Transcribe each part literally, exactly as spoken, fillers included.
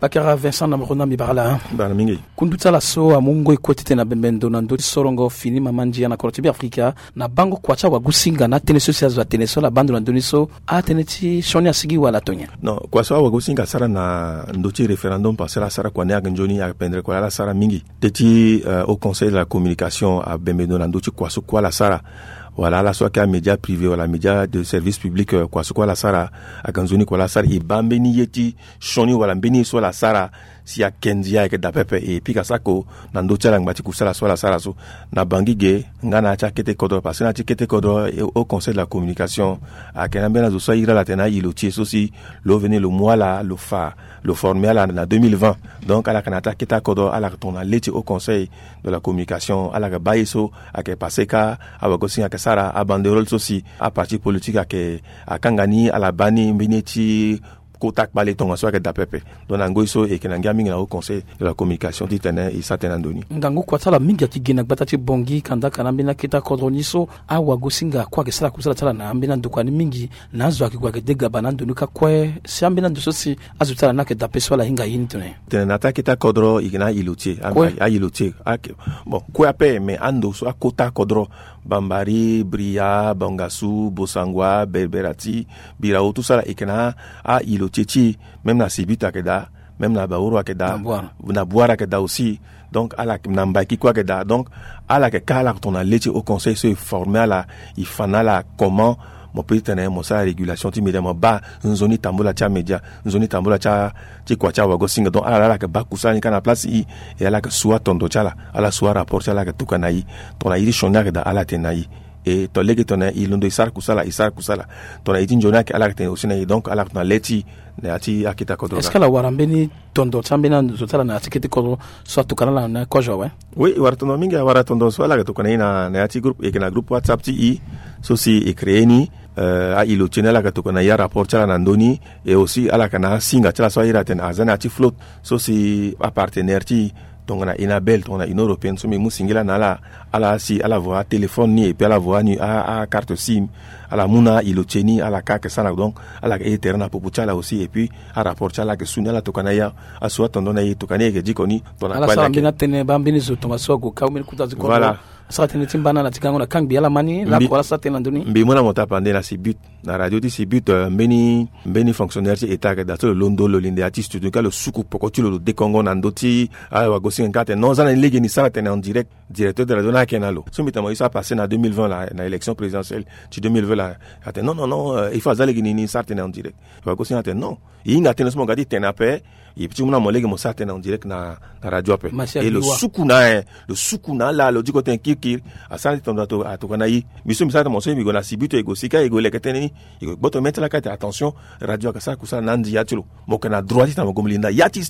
Akara Vincent na moro na mbi bara la. Bara mingi. Kundu ti ala so amu ngoi kue titene abembe ndo na ndö ti sorongo fini mama ndia na kodro ti Beafrika na bango kua ti awagosinga na tënë so si azo atene so ala baa ndo na ndö ni so, atënë ti sioni asigi wala tonye? Non, kua so awagosinga asara na ndö ti référendum passé la asara kua ni ayeke nzoni, ayeke pendere kua la asara mingi. Teti au conseil de la communication abembe ndo na ndö ti kua so kue ala sara, wala ala so ayeke amédia privé wala média de service public, kua so kue ala sara, ayeke nzoni kua la asara e baa mbeni ye ti sioni wala mbeni ye so ala sara si ake ndia ayeke daa pepe. E pika sako na ndö ti ala ngba ti kusala so ala sara so na bangi ge nga na ya ti akete kodro, parce que na ya ti kete kodro au conseil de la communication ayeke na ambeni azo so ahiri ala atene ailo ti e so si lo veni lo mu ala lo fa lo forme ala na deux mille vingt. Donc ala yeke na ya ti akete akodro, ala yeke tongana le ti au conseil de la communication, ala yeke baa ye so ayeke passé kâ awagosinga ayeke sara abanderole so si aparti politique ayeke akanga ni ala baa ni mbeni ye ti kota kpale tongaso ayeke daa pepe. Donc na ngoi so e yeke na ngia mingi na au conseil de la communication titene e sara tënë na ndo ni. Ngangu kua ti ala mingi ayeke gi na gbata ti Bangui kandaka na ambeni akete akodro ni so awagosinga kue ayeke sara kusala ti ala na ambeni andokua ni mingi. Na azo ayeke gue ayeke degaba na ando ni kâ kue si ambeni ando so si azo ti ala ni ayeke daa pe so ala hinga ye ni tene. Tene na ya ti akete akodro e yeke na ailo ti e. Kue. Ailo ti e. Bon, kue ape, mais ando so akota akodro, Bambari, Bria, Bangassou, Bossangoa, Berberati, Birao, tout ça la e yeke na ailo ti e ti e. Même na Sibut ayeke daa, même na Baoro ayeke daa, na Bouar ayeke daa aussi. Donc ala na Mbaïki kue ayeke daa. Donc ala yeke kâ ala yeke tongana le ti au conseil so e forme ala, e fa na ala comment mo peut titene mo sara régulation ti média, mo baa nzoni tambula ti amédia, nzoni tambula ti a ti kua ti awagosinga. Donc ala la ala yeke baa kusala ni kâ na place i. E ala yeke su atondo ti ala, ala su arapport ti ala, ala yeke tokua na i. Tongana i ti sioni ayeke daa ala tene na i. E to lege tongana i londo i sara kusala, i sara kusala. Tongana i ti nzoni ayeke ala yeke tene aussi na i. Donc ala yeke tongana le ti i na ya ti akete akodro. Est-ce que ala wara mbeni tondo ti ambeni azo ti ala na ya ti kete kodro so atokua na ala na kozo awe? Oui, e wara tondo mingi, awara tondo so ala yeke tokua na i na ya ti groupe, e yeke na groupe WhatsApp ti i so si e créer ni. Ailo ti e ni ala yeke tokua na i arapport ti ala na ndö ni. Et aussi ala yeke na asinga ti ala so ahiri atene aza na ya ti flotte so si apartenaire ti i tongana Enabel, tongana Union européenne so mbi mu singila na ala. Ala si ala voa atéléphone ni et puis ala voa ni akarte sim. Ala mu na ailo ti e ni ala kâ ayeke sara na. Donc ala yeke e tere na popo ti ala aussi et puis arapport ti ala ayeke su ni, ala tokua na i. Asu atondo na i, tokua na i, e yeke diko ni tongana ala sara mbeni atene baa mbeni zo tongaso ague kâ mbeni kota ti kodro. Voilà. Asara tënë ti mbana na ti gango na kangbi ala ma ni lakue ala sara tënë na ndö ni. Mbi mu na mo tapande na Sibut, na radio ti Sibut, mbeni mbeni fonctionnaire ti état ayeke daa so lo londo lo linde ya ti studio ni kâ lo suku poko ti lo lo dekongo na ndö ti awagosinga ni kâ atene non, za na ni lege ni sara tënë en direct. Directeur de radio ni ayeke na lo so mbi tene mo ye so apassé na deux mille vingt la na élection présidentielle ti deux mille vingt la. Atene non non non, il faut aza lege ni ni sara tënë en direct. Awagosinga atene non. E hinga tënë so mo ga ti tene ape. E ti mu na mo lege mo sara tënë en direct na radio ape. E lo suku na e lo suku na ala lo diko tënë kirikiri. Asara ti tondo atokua na i. Mbi so mbi sara tënë mo so mbi gue na Sibut, e gue sika e gue leke tënë ni. E gue gboto mê ti ala kâ atene attention, radio ayeke sara kusala na andi ya ti lo. Mo yeke na droit titene mo gue mo linda ya ti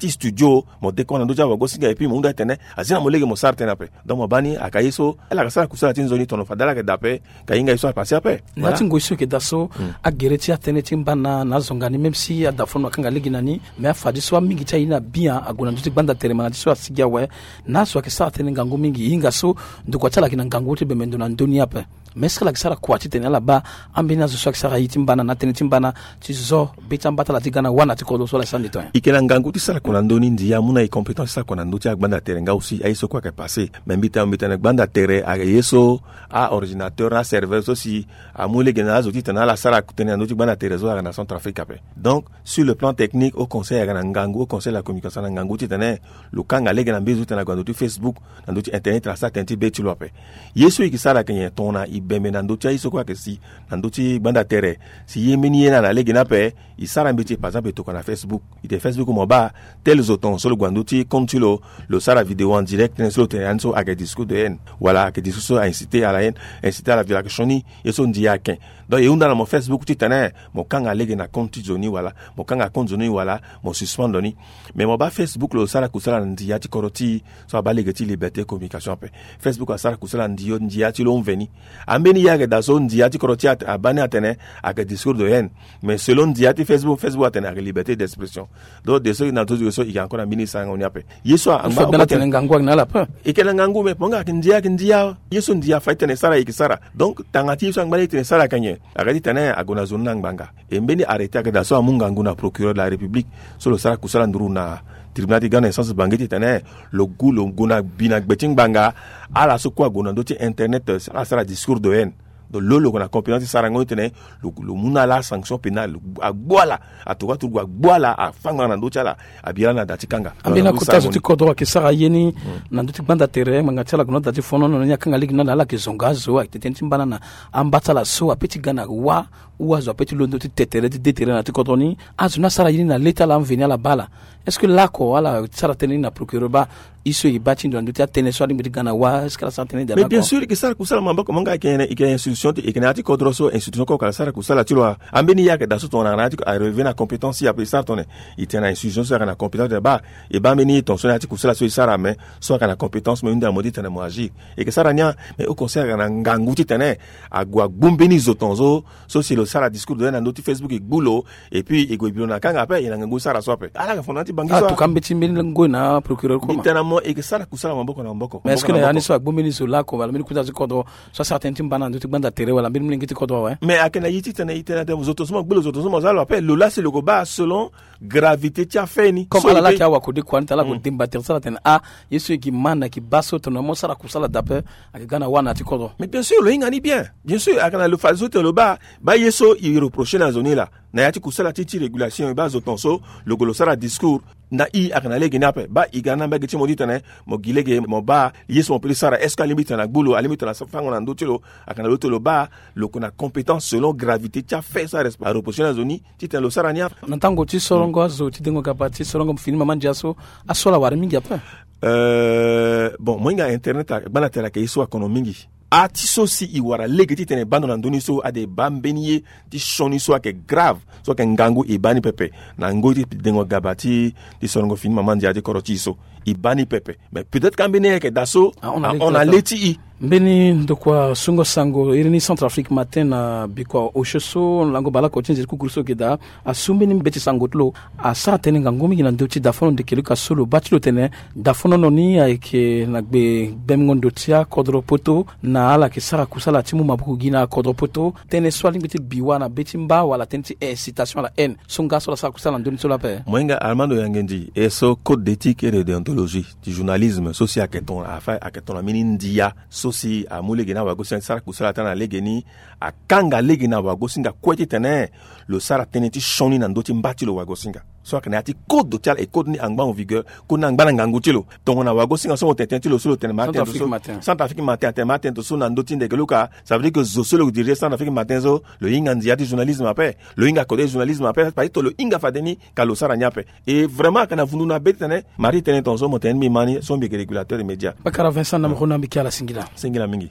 studio. Mo dekongo na ndö ti awagosinga et puis mo hunda tene azi na mo lege mo sara tënë ape. Donc mo baa ni ayeke ye so ala yeke sara kusala ti nzoni, tono fade ala yeke daa ape. Ka hinga ye so apase ape. Na ya ti ngoi so e yeke daa so, agere ti atënë ti mbana na azonga ni même si ada fo na akanga lege na ni, mais afadeso amingi ti aye ni abia ague na ndö ti gbanda tere ma na ti so asigi awe. Na azo ayeke sara tënë ngangu mingi e hinga so ndokua ti ala ayeke na ngangu ti bembe ndo na ndö ni ape. Mais est-ce que ala yeke sara kua titene ala baa ambeni azo so ayeke sara ye ti mbana na atënë ti mbana ti zo be ti amba ti ala ti ga na wâ na ti kodro so ala sara ni tonga? E yeke na ngangu ti sara kua na ndö ni, ndia amu na e compétence ti sara kua na ndö ti agbanda tere nga aussi aye so kue ayeke pase. Mais mbi tene mbi tene gbanda tere ayeke ye so aordinateur na aserveur so si amu lege na azo titene ala sara tënë na ndö ti gbanda tere so ayeke na Centrafrique ape. Donc sur le plan technique, au conseil ayeke na ngangu, au conseil de la communication na ngangu titene lo kanga lege na mbeni zo titene ague na ndö ti Facebook, na ndö ti internet, ala sara tënë ti be ti lo ape. Ye so e yeke sara ayeke nyen? Tongana e bembe na ndö ti aye so kue ayeke si na ndö ti gbanda tere, si ye mbeni ye ni ala na lege ni ape, e sara mbeti, par exemple e tokua na Facebook. E tene Facebook mo baa tel zo tongaso lo gue na ndö ti compte ti lo, lo sara vidéo en direct, tënë so lo tene ya ni so ayeke discours de haine wala ayeke discours so a inciter à la haine, inciter à la violence, ayeke sioni ye so ndia ayeke. Donc e hunda na mo Facebook titene mo kanga lege na compte ti zo ni wala mo kanga compte zo ni wala mo suspendre ni. Mais mo baa Facebook lo sara kusala na ndia ti kodro ti e so abaa lege ti liberté communication ape. Facebook asara kusala na ndia ti lo mveni. Ambeni ye ayeke daa so ndia ti kodro ti e abaa ni atene ayeke discours de haine. Mais selon ndia ti Facebook, Facebook atene ayeke liberté d'expression. Donc de so na zo so e yeke encore na mbeni sarango ni ape. Ye so angba atene ngangu ayeke na ala ape. E yeke na ngangu, mais mpo nga ayeke ndia, ayeke ndia. Ye so ndia fa ti tene e sara e yeke sara. Donc tanga ti ye so angba ni e tene e sara ayeke nyen? Aga titene ague na zo ni na ngbanga. E mbeni arrêté aga daa so amu ngangu na procureur de la république, so lo sara kusala nduru na tribunal ti grande instance bange titene lo gu lo gue na bi na gbe ti ngbanga. Ala so kue ague na ndö ti internet, ala sara discours de haine. Donc lo lo gue na compétence ti sarango ni titene lo mu na ala sanction pénale, agbu ala. Atuka turugu agbu ala, afanga na ndö ti ala, abi ala na da ti kanga. Ambeni akota zo ti kodro ayeke sara ye ni na ndö ti gbanda tere, ngbanga ti ala ague na da ti fonono ni, akanga lege na ala, ala yeke zonga azo, ayeke tene ti mbana na amba ti ala so ape ti ga na wa. Ou azo ape ti londo ti te tere ti de tere na ti kodro ni. Azo ni asara ye ni na le ti ala, amveni ala baa ala. Est-ce que laoko ala sara tënë ni na procureur baa? Ye so e baa ti ndo na ndö ti atënë so alingbi ti ga na wa, est-ce que ala sara tënë ni? Mais bien sûr e ke sara kusala maboko, mo nga e ke institution ti, e ke na ya ti kodro so institution kue ala sara kusala ti lo. Ambeni ye ayeke daa so tongana na ya ti arelevé na compétence ti e ape, e sara tongana e tene na institution so ayeke na compétence ti e baa. E baa mbeni ye tongaso na ya ti kusala so e sara, mais so ayeke na compétence mo hunda mo titene mo agir. E ke sara ni. Mais au conseil ayeke na ngangu titene ague agbu mbeni zo tongaso. So si lo sara discours de haine na ndö ti Facebook, e gbu lo, et puis e gue e bi lo na kanga ape, e na ngangu ti sara so ape. Ala yeke fondement ti bangi so. Atuka mbeti mbeni ngoi na procureur koma. Mbi tene na mo e ke sara kusala maboko na maboko. Mais est-ce que na ya ni so agbu mbeni zo laoko wala mbeni kota ti kodro so asara tënë ti mbana na ndö ti gbanda tere wala mbeni molenge ti kodro awe? Mais ayeke na ye titene e tene na tene zo tongaso mo gbu lo, zo tongaso mo za lo ape, lo laa si lo ke baa selon gravité ti affaire ni. Comme ala laa ti awakode kua ni tene ala ko demba tere ti ala tene ah, ye so e gi man na e gi baa so tongana mo sara kusala daa ape, ayeke ga na wa na ya ti kodro. Mais bien sûr lo hinga ni bien. Bien sûr ayeke na lo fade so tene lo baa, baa ye so e reproché na zo ni laa na ya ti kusala ti ti régulation, e baa zo tongaso lo gue lo sara discours. Na i ayeke na lege ni ape, baa e ga na mbage ti mo titene mo gi lege mo baa ye so mo peut ti sara, est-ce que alingbi titene agbu lo, alingbi titene afango na ndö ti lo? Ayeke na lo ti lo baa lo ko na compétence selon gravité ti affaire so areproché na zo ni titene lo sara ni ape. Na tango ti sorongo azo ti dengo gaba ti sorongo fini mama ndia so, aso ala wara mingi ape. Euh, bon, mo hinga internet, gbanda tere ayeke ye so akono mingi. A ti so si e wara lege titene e baa ndo na ndö ni so, ade e baa mbeni ye ti sioni so ayeke grave, so ayeke ngangu, e baa ni pepe. Na ngoi ti dengo gaba ti, ti sorongo fini mama ndia ti kodro ti e so, e baa ni pepe. Mais peut-être ka mbeni ye ayeke daa so ahon na le ti e. Mbeni ndokua sungo sango iri ni Centrafrique Matin na bikua osio so, lango baleoko ti nze ti kukuru so ge daa, asu mbeni mbeti sango ti lo, asara tënë ngangu mingi na ndö ti dafono ndeke luka so lo baa ti lo tene dafono ni ayeke na gbe gbengo ndo ti akodro poto, na ala yeke sara kusala ti mu maboko gi na akodro poto. Tënë so alingbi ti bi wa na be ti mba wala tënë ti incitation à la haine so nga so ala sara kusala na ndö ni so laa ape? Mohinga Armando Yangendi, e so code d'éthique et de déontologie ti journalisme so si ayeke tongana afa, ayeke tongana mbeni ndia so si amu lege ni awagosinga ti sara kusala ti ala na lege ni, akanga lege na wagosinga kue titene lo sara tënë ti sioni na ndö ti mba ti lo wagosinga. So ayeke na ya ti code ti ala, e code ni angba en vigueur, code ni angba na ngangu ti lo. Tongana wagosinga so mo tene tënë ti lo so lo tene ma atene so, Centrafrique Matin atene ma atene so na ndö ti ndeke luka, ça veut dire que zo so lo dirige Centrafrique Matin so, lo hinga ndia ti journalisme ape, lo hinga kode journalisme ape, parce que lo hinga fade ni ka lo sara ni ape. Et vraiment ayeke na vundu na be titene Marie tene tongaso mo tene ni mbi ma ni so mbi yeke régulateur immédiat. Bakara Vincent na mokona mbi ke ala singila. Singila mingi.